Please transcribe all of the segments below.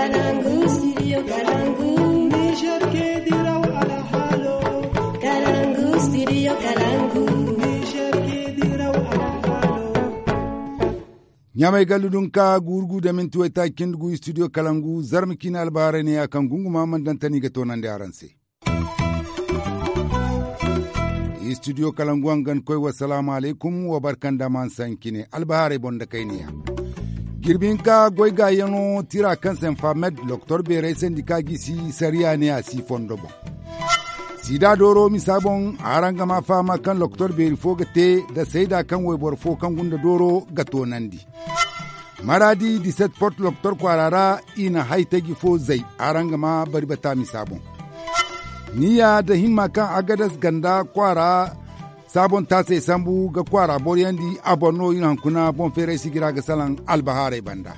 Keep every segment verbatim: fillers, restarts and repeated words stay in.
Kalangu, studio Kalangu. Niger ke diraw alhalo. Kalangu, studio Kalangu. Niger ke diraw alhalo. Ɲamay gallu dun ka gurgu da minti wayta cindi gu studio Kalangu, zarma ciine albaharay ne ya kaŋ gunguma man dantani ga toonandi araŋ se. Studio Kalangu hangan koy, wassalaamu alaykum, wa barka nda man sancine albaharay boŋ da kayniya. Jirbi hinka goy gaayaŋo tira kaŋ se nfa med, lokotor beerey sandika gisi sariya ne a si fondo boŋ. Sida dooro misa boŋ, araŋ ga ma fahama kaŋ lokotor beeri fo ga te da sayda kaŋ wayboro fo kaŋ gunda dooro ga toonandi. Maradi diset port lokotor kwaara ra, i na haytaji fo zay, araŋ ga ma bari bata misa boŋ. Niya da himma kaŋ agadas ganda kwaara saabon taasey sambu ga kwaara boroyandi a boŋ no, i na hunkuna boŋ feeray sijira ga salaŋ albahaarey banda.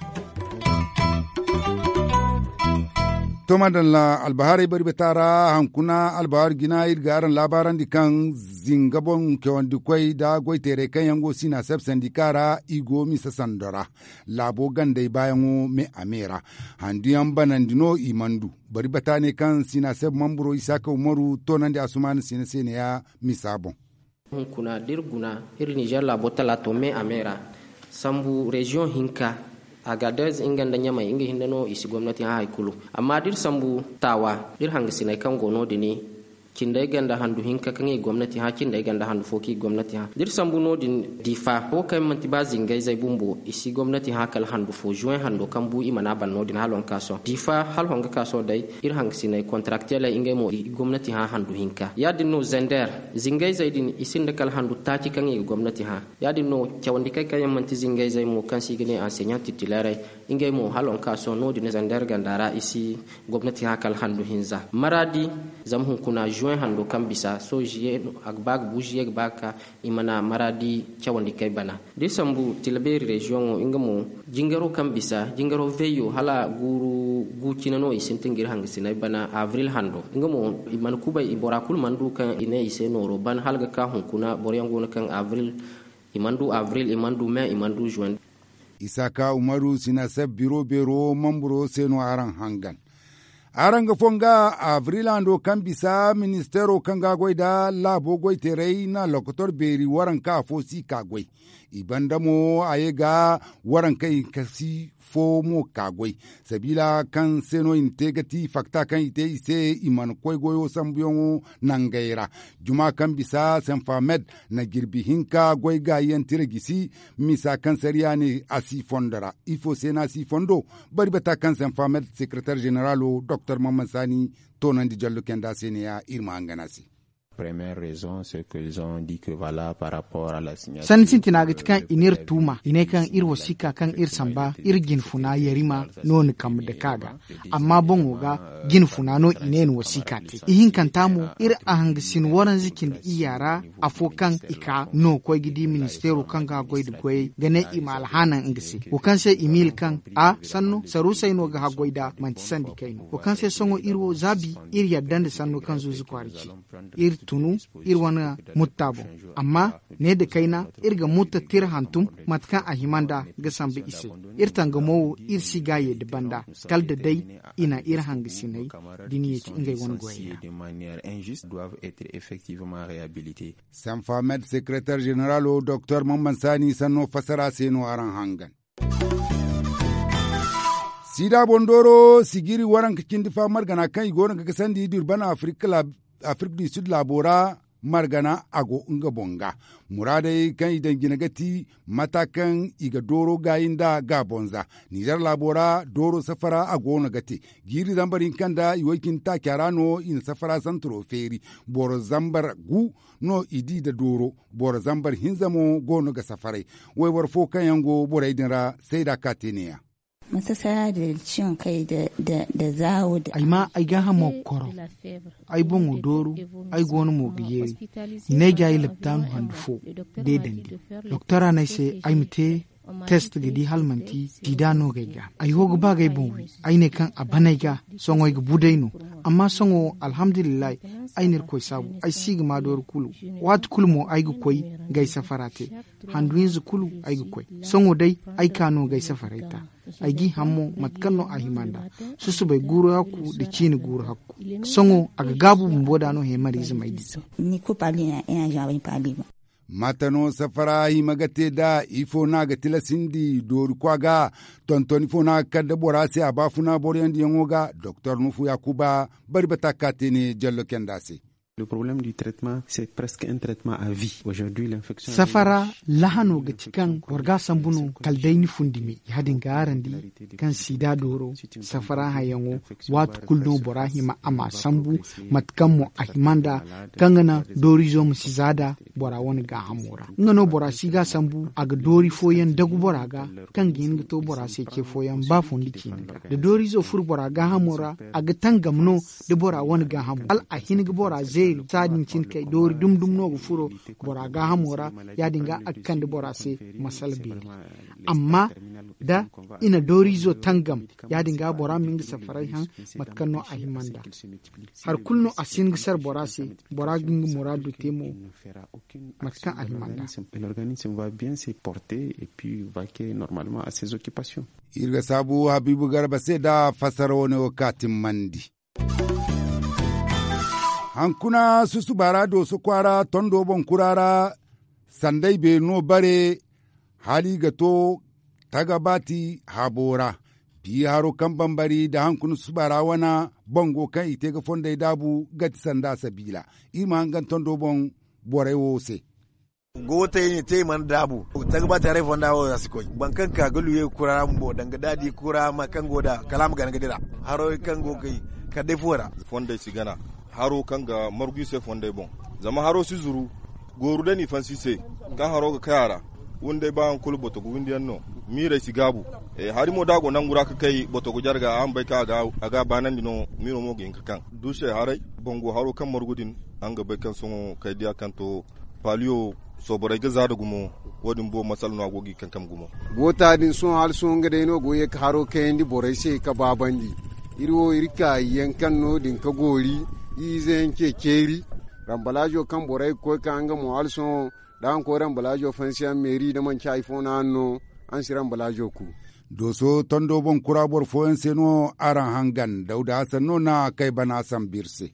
To madalla, albahaarey bari bata ra, hunkuna albahaar jina iri ga araŋ laabaarandi kaŋ zinga boŋ cawandi koy da goyteerey kaŋ yaŋ go sinaseb sandika ra, i go misa sando ra. Laabo gandey baayaŋo me a me ra. Handuyaŋ banandi no i mana du. Bari bata ne kaŋ sinaseb mamburo isaaka umaru toonandi asumaana sina se ne ya misa boŋ. Hunkuna da iri guna, iri nizer laabo talaato me a me ra, sambu reziyoŋ hinka, agadez nga nda ɲamay nga hinne no i si gomnati hã hari kulu. Amma da iri sambu taawa, da iri hangasiney kaŋ go no- din, cindey ganda handu hinka kaŋ i gomnati hã, cindey ganda handu fo kaŋ i gomnati hã. Da iri sambu no- din, difa wo kaŋ manti ba zingayzey bumbo i si gomnati hã kala handu fo zuwey hando kaŋ bu i mana ban no- din hala honga ka sohõ difa hala honga ka sohõ day. Iri hangasiney kontarakteley ngey mo i gomnati hã handu hinka ya- din no zender, zingayzey din i sinda kala handu taaci kaŋ i ga gomnati hã. Ya- din no cawandi kay kaŋ yaŋ manti zingayzey mo kaŋ se i ga ne anseɲaŋ titilerey, ngey mo hala honga ka sohõ no- din zender ganda ra i si gomnati hã kala handu hinza maradi. Zama hunkuna zuwey hando kaŋ bisa sohõ ziye a ga ba ga bu ziye ga ba ga ka, i mana maradi cawandi kay bana. Da iri sambu tilabeeri reziyoŋo nga mo, jingaro kaŋ bisa jingaro veyyo hala guuru gu cine no i sintin ga iri hangasiney bana abril hando nga mo, i mana kubay i bora kulu mana du kaŋ i ne i se nooro ban hala ga ka hunkuna boroyaŋ go no kaŋ abril, i mana du abril, i mana du me, i mana du zuwey. Isaaka umaru sinaseb biro beero mamburo se no araŋ hangan. Araŋ ga fonga abril hando kaŋ bisa ministeero kaŋ ga goy nda laabo goyteerey na lokotor beeri waranka afo si ka goy. I banda mo a ye ga warankey kasi fo mo ka goy. Sabiila kaŋ se no i na te ga ti fakta kaŋ i te i se, i mana koy goyo sambuyaŋo nangey ra. Juma kaŋ bisa senfa med na jirbi hinka goy gaayiyaŋ tira gisi, misa kaŋ sariya ne a si fondo ra. Ifo se no a si fondo? Bari bata kaŋ senfa med sekretar zeneralo doktor mamman sani toonandi jallo kenda se ne ya iri ma hangan a se. Sanni sintina ga ti kaŋ i n'iri tuuma i ne kaŋ iri wasiika kaŋ iri samba iri jinfuna yarima no ni kambe dake a ga. Amma boŋo ga jinfuna no i ne ni wasiika te ihinkanta mo iri a hanga sin waranza cindi iyya ra. Afo kaŋ i ka no koy ga di ministeero kaŋ ga haggoy nda goyey ga ne i ma alhanan nga se wo kaŋ se i miila kaŋ a sanno saruusey no ga haggoy nda manti sandi kayna wo kaŋ se sohõ iri wo za bi iri yadda nda sanno kaŋ zuuzu kwaara ci. Iri tunu iri wane mutta boŋ. Amma ne nda kayna iri ga mutta tira hantum mate kaŋ a hima nd'a ga sambu i se. Iri tangamo wo iri si ga a ye nda banda kala nda day i na iri hangasiney da ni ye ti ngey wane goyey ra. Sanfa med sekretar zeneralo doktor mamman saani sanno fassara se no araŋ hangan. Siida boŋ dooro sijiri waranka cindi fa margana kaŋ i go no ga gasandi durban afirik du sud laabo ra. Margana a go nga boŋ ga muraadey kaŋ i daŋ jina ga ti mata kaŋ i ga dooro gaayi nda gaabonza. Nizer laabo ra dooro safara a go no ga te jiiri zambar hinka nda i way cindi taaca ra no i na safara santaro feeri. Boro zambar gu no i di nda dooro. Boro zambar hinza mo go no ga safaray. Wayboro fo kaŋ yaŋ go borey din ra sayda ka te neeya. Ay maa ay gaahamo ga koro. Ay boŋo dooru. Ay go no mo ga yeeri. I ne ay ga ay laptaanu handu fo deedandi. Doktora no ay se ay ma te Test ga di hala manti sida no ga ay ga ay ho ga ba ga ay boŋ wi. Ay ne kaŋ a ban ay ga sohõ ay ga bu day no. Amma sohõ alhamdulillahi, ay na irkoy saabu ay si ga ma doori kulu. Waati kulu mo ay ga koy ga ay safara te. Handu hinza kulu ay ga koy. Sohõ day ay ka no ga ay safaray ta. Ay g'i haŋ mo mate kaŋ no a hima nd'a. Susubay guuru hakku nda ciini guuru hakku. Sohõ a ga gaabu bumbo da no heemariize m'ay di. Mate no safara hima ga te nd'a? Ifo no a ga tilasindi doori kwa ga? Tonton ifo no a ga kande bora se a baafuna boroyandiyaŋo ga doktor nufu yaakuba bari bata ka te ne jallo kenda se. Safara lahano ga ti kaŋ boro ga a sambu no kala day ni fundi me ya- din ga araŋ di kaŋ sida dooro safara hayaŋo waati kulu no bora hima a ma sambu mate kaŋ mo a hima nd'a kaŋ ga naŋ doorizo ma si za nd'a bora wane gaahamo ra. Nga no bora si ga a sambu a ga doori fooyaŋ dagu bora ga kaŋ ga hin ga to bora se ce fooyaŋ ba fondi ciine ga da doorizo furo bora gaahamo ra a ga tangam no da bora wane gaahamo hala a hin ga bora zeeri saadin cine kay doori dum dum no ga furo bora gaahamo ra. Ya- din ga a ga kande bora se masala beeri. Amma da i na doorizo tangam ya- din ga bora ma nga safaray haŋ mate kaŋ no a hima nd'a. Hari kulu no a si hin ga sara bora se. Bora ga nga muraado te mo mate kaŋ a hima nd'a. Iri ga saabu habiibu garba se nda fassara wane wo ka timmandi. Hankuna susuba ra dooso kwaara tondo boŋ kura ra. Sanday beeri no bare hala i ga to tagabaati habo ra. Bi haro kaŋ bambari nda hankuna susuba ra wane bango kaŋ i te ga fondey daabu ga ti sanda sabiila. Iri ma hangan tondo boŋ borey wo se. Gootey ne te i mana daabu. Tagabaati haray fonda wo ra si koy boro kaŋ ka ga luye kura ra bumbo danga da a di kura ma kaŋ go nd'a kala a ma gana ga dira. Haro kaŋ go ga kay kala day fuwo ra. Fondey si gana haro kaŋ ga margu i se fondey boŋ. Zama haro si zuru. Gooru day n'i fansi i se kaŋ haro ga kay a ra. Windey ba hari kulu boto ga windi yaŋ no. Miirey si gaabu. Hari mo da a go nangu ra ga kay boto ga jare ga a ma bay kaŋ a ga a baanandi no. Miiro mo ga hin ga kaŋ duusey haray. Bango haro kaŋ margu din araŋ ga bay kaŋ sohõ kay diya kaŋ to. Paaliyo sooborey ga za nda gumo. Wo- din boobo masala no a go ga i kankam gumo. Goota din sohõ hala sohõ nga day no go ga ye ga haro kayandi borey se ga baabandi. Iri wo iri ka yaŋ kaŋ no- din ga goori iri ize yaŋ ce ceeri. Rambalaazo kaŋ borey ga koy ka nga mo hala sohõ da araŋ koy rambalaazo fansiyaŋ meeri da manci hari fo no araŋ no. Araŋ si rambalaazo ku. Dooso tondo boŋ kura boro fooyaŋ se no araŋ hangan dawda hasan no na kay bana sambu iri se.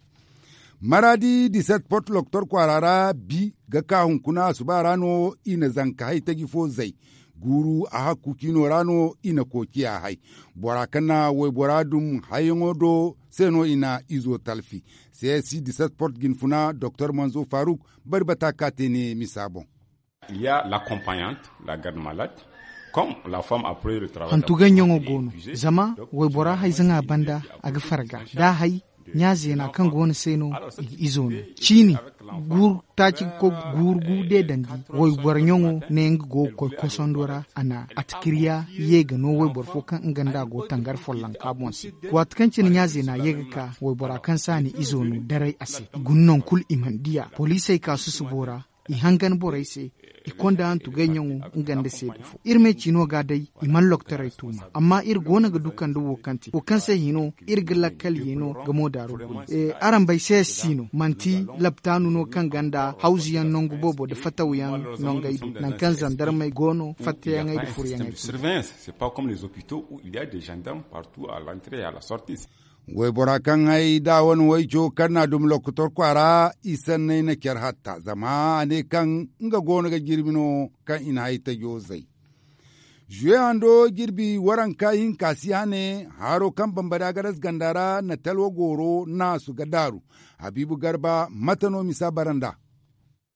Maraadi diset port lokotor kwaara ra bi ga ka hunkuna asuba ra no i na zanka haytaji fo zay. Guuru a hakku ciino ra no i na koociya hay. Bora kaŋ na waybora dum hayyaŋo do se no i na izo talfi. Seesi diset port jinfuna doktor manzo faruk bari bata ka te ne misa boŋ. Hantu gaɲɲaŋo go no. Zama waybora hayzaŋa banda a ga farga da a hay ɲa zeena kaŋ go no se no i ga izo no. Ciini guuru taaci ga koy ga guuru gu deedandi. Waybora ɲaŋo ne nga go ga koy kosondo ra a na atikiriya ye ga no wayboro fo kaŋ nga nda a go tangar follonka boŋ se. Waati kaŋ cine ɲa zeena ye ga ka waybora kaŋ se a na izo no daray a se i guna naŋ kulu i mana di a. Poliisey ka susubo ra i hangan borey se. I konda hantu gayyaŋo nga nda seeda fo iri me ciino ga day. I mana loktoray tuuma amma iri go no ga du kande wo kaŋ te wo kaŋ se hino iri ga lakkal ye no ga mo daaro guna. Araŋ bay se si no manti laptaanu no kaŋ ganda hawzuyaŋ nangu boobo nda fatawyaŋ nongey do nangu kaŋ zandarmey go no fatteyaŋey nda furyaŋey. Waybora kaŋ hay da a wane wayco kaŋ na a dumi lokotor kwaara i sanney na care hatta zama a ne kaŋ nga go no ga jirbi no kaŋ i na hay tajo zay. Zuwe hando jirbi waranka hinka si hane haro kaŋ bambari agadas ganda ra na talwa gooro naasu ga daaru. Habiibu garba mate no misa bara nd'a?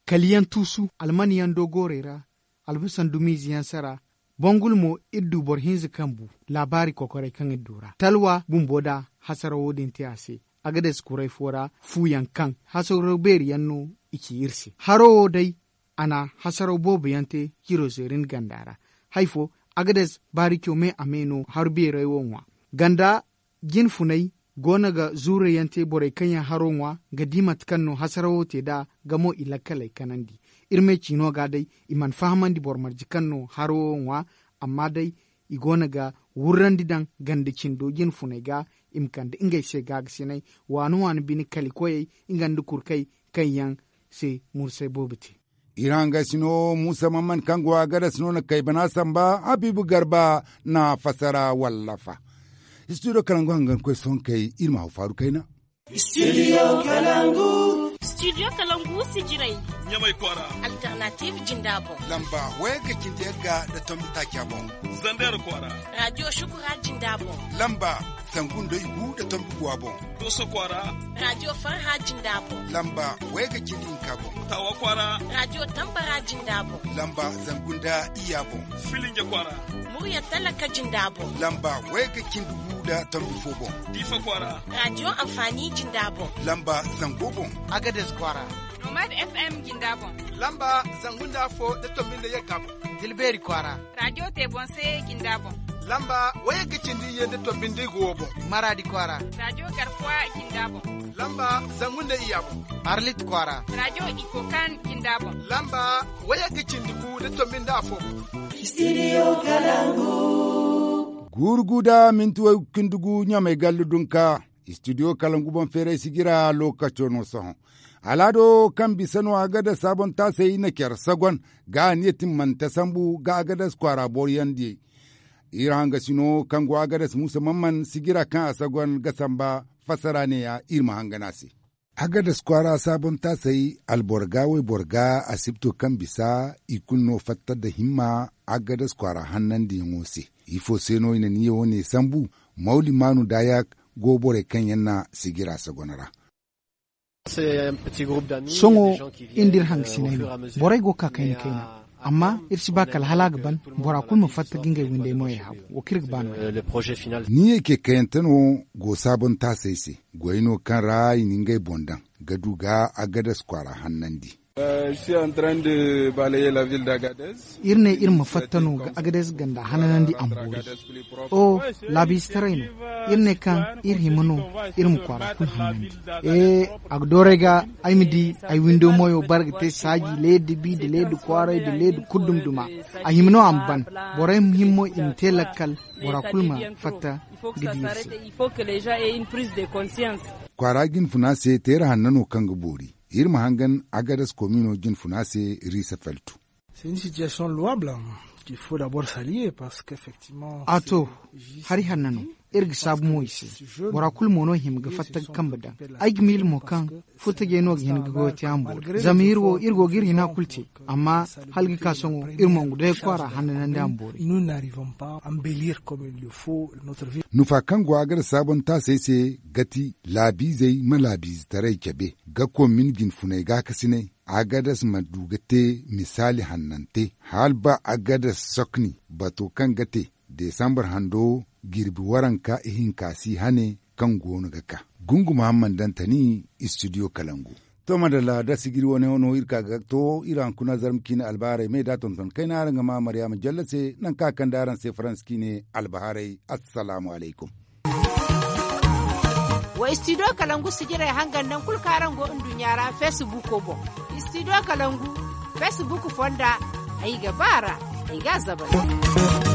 Kaliyaŋ tuusu almanyaŋ do goorey ra albasan dumiize yaŋ sara. Bangul mo iri du boro hinza kaŋ bu laabaari kokorey kaŋ iri du ra talwa bumbo da hasarawo din te a se. Agades kuray fo ra fuuyaŋ kaŋ hasaraw beeri yaŋ no i ci iri se haro wo day. A na hasaraw boobo yaŋ te ciro zeerin ganda ra. Hay fo agades baarico me a me no haru beerey wo ŋwa ganda jinfunay go no ga zuurey yaŋ te borey kaŋ yaŋ haro ŋwa ga di mate kaŋ no hasarawo te nd'a. Ga mo i lakkaley kanandi iri me ciino ga day i mana fahamandi boro marje kaŋ no haro wo ŋwa. Amma day i go no ga wurrandi daŋ ganda cindo jinfuney ga, i ma kande ngey se gaagasinay waani waani bine kali koyey nga nda kurkey kaŋ yaŋ se mursay boobo te. Iri hangasino muusa mamman kaŋ go a gada si no na kay bana samba habiibu garba na fassara wallafa. Istidiyo kalangu hangankoy sohõ kay iri ma haw faaru kayna. Istidiyo kalangu. Istidiyo kalangu si jiray. Ɲamay kwaara. Alternatiiv jinda boŋ. Lamba wayagga cindi yagga nda tombi taaca boŋ. Zandeer kwaara. Raadiyo shukura jinda boŋ. Lamba zangu nda igu nda tombi guwa boŋ. Dooso kwaara. Raadiyo farha jinda boŋ. Lamba wayagga cindi hinka boŋ. Taawa kwaara. Raadiyo tambara jinda boŋ. Lamba zangu nda iyya boŋ. Filinja kwaara. Murya talaka jinda boŋ. Lamba wayagga cindi gu nda tombi fo boŋ. Diifa kwaara. Raadiyo anfaani jinda boŋ. Lamba zango boŋ. Agades kwaara. Nomad FM jinda boŋ. Lamba zangu nda afo nda tombi nda yagga boŋ. Dilbeeri kwaara. Raadiyo te boŋ se jinda boŋ. Lamba wayagga cindi iyye nda tombi nda igu wo boŋ. Maraadi kwaara. Raadiyo garkuwa jinda boŋ. Lamba zangu nda iyya boŋ. Arlit kwaara. Raadiyo ikokan jinda boŋ. Lamba wayagga cindi gu nda tombi nda afo boŋ. Istidiyo kalangu. Guuru gu nda minti way cindi gu ɲamay gallu dunka. Istidiyo kalangu boŋ feeray si jira lookaco no sohõ. Alaado kaŋ bisa no a ga da saabon taasay na care sagon ga a niya timmante sambu ga a ga da kwaara boro yaŋ di. Iri hangasino kaŋ go a ga da muusa mamman si jira kaŋ a sagon ga samba fassara neeya iri ma hangan a se. A ga da kwaara saabon taasay alboro ga wayboro ga asibto kaŋ bisa i kulu no fatta nda himma a ga da kwaara hannandiyaŋo se. Ifo se no i na niya wo- ne sambu? Mawli maanu daayak go borey kaŋ yaŋ na si jira sagon ra. Sohõ iri nda iri hangasiney no. Borey go ga ka kayna kayna. Amma iri si ba kala hala a ga ban bora kulu ma fatta ga ngey windey moyey habu. Wo kaŋ iri ga ba no- ya. Niyyey kekayante no go saabon taasey se. Goy no kaŋ ra i na ngey boŋ daŋ ga du ga a ga da kwaara hannandi. Iri ne iri ma fatta no ga agades ganda hananandi a ma boori. O laabiizetaray no. Iri ne kaŋ iri hima no iri ma kwaara kulu hannandi. E a ga dooray ga ay ma di ay windo moyo bare ga te saaji leedi bi nda leedi kwaaray nda leedi kulu duma-duma. A hima no a ma ban. Borey hima mo i ma te lakkal bora kulu ma fatta ga di iri se. Kwaara jinfuna se teera hanna no kaŋ ga boori. Iri ma hangan agadas komino jinfuna se. Riisa feltu. A to, hari hanna no. Iri ga saabu mo i se. Bora kulu mo no hima ga fatta ga kambe daŋ. Ay ga miila mo kaŋ furtajey no ga hin ga goyo te a ma boori zama iri wo iri go ga iri hina kulu te. Amma hala ga ka sohõ iri mongu day kwaara hanna nandi a ma boori. Nufa kaŋ go a ga da saabontaasey se ga ti laabiizey ma laabiizetaray cabe ga komin jinfuney gaakasiney. Agadas ma du ga te misaali hannante hala ba agadas sokni bato kaŋ ga te desambar hando jirbi waranka ihinka si hane kaŋ go no ga ka. Gungu muhammad dantani istidiyo kalangu. To madalla da sijiri wane no iri ka ga to iri hankuna zarma ciine albaharay me da tonton kayna araŋ ga ma maryama jalle se nangu kaŋ a kande araŋ se faransa ciine albaharay. Assalaamu alaykum. Wa istidiyo kalangu sijirey hangan nangu kulu kaŋ araŋ go nduɲɲa ra feesibuuko boŋ. Istidiyo kalangu feesibuuko fonda ay ga ba a ra. Ay ga a zabari.